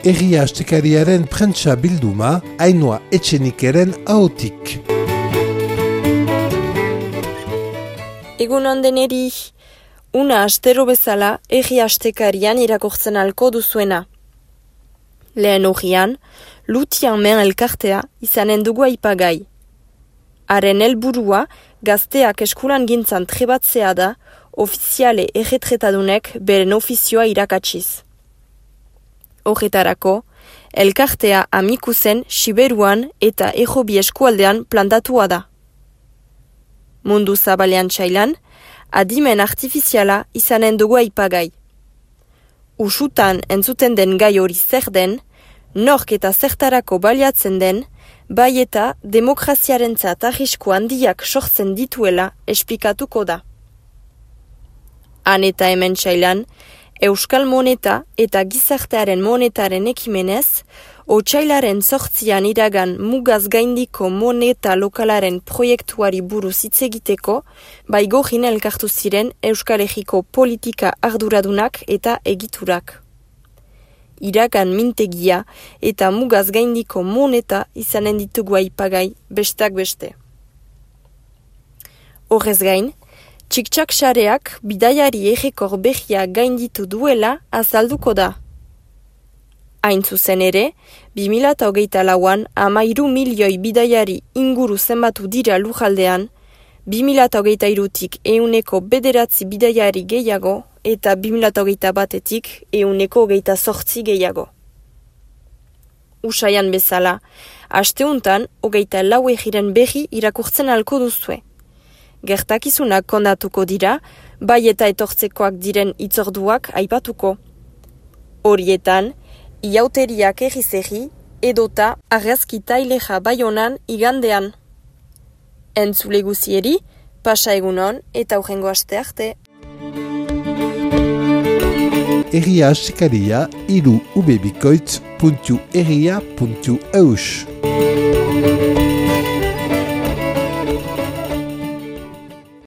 Egia Astekariaren prentsa bilduma, Ainhoa Etxenikeren ahotik. Egun ondeneri, una astero bezala Egia Astekarian irakurtzen alko duzuena. Lehen horian, Lutian men elkartea izanen dugu aipagai. Haren helburua gazteak eskulan gintzan trebatzea da, ofiziale erretretadunek beren ofizioa irakatsiz. Horretarako, elkartea Amikuzen, Siberuan eta Ejobi eskualdean plantatua da. Mundu zabalean txailan, adimen artifiziala izanen dugu aipagai. Usutan entzuten den gai hori zer den, nork eta zertarako baliatzen den, bai eta demokraziarentzat arrisku handiak sortzen dituela esplikatuko da. Han eta hemen txailan, Euskal moneta eta gizartearen monetaren ekimenez, otsailaren 8an iragan mugaz gaindiko moneta lokalaren proiektuari buruz hitz egiteko, bai gorin elkartu ziren Euskal Herriko politika arduradunak eta egiturak. Iragan mintegia eta mugaz gaindiko moneta izanen ditugu aipagai bestak beste. Horrez gain, txik-txak sareak bidaiari errekor behia gainditu duela azalduko da. Hain zuzen ere, 2024an 13 milioi bidaiari inguru zenbatu dira lujaldean, 2023tik 9% bidaiari gehiago eta 2021tik 28% gehiago. Usaian bezala, asteuntan 24 egiren behi irakurtzen alko duzue. Gertakizunak kondatuko dira, bai eta etortzekoak diren itzorduak aipatuko. Horietan, iauteriak egizegi edota argazki taileja Baionan igandean. Entzule guzieri, pasa egunon eta hurrengo aste arte. Egia Astekaria, ubebikoitz.egia.eus.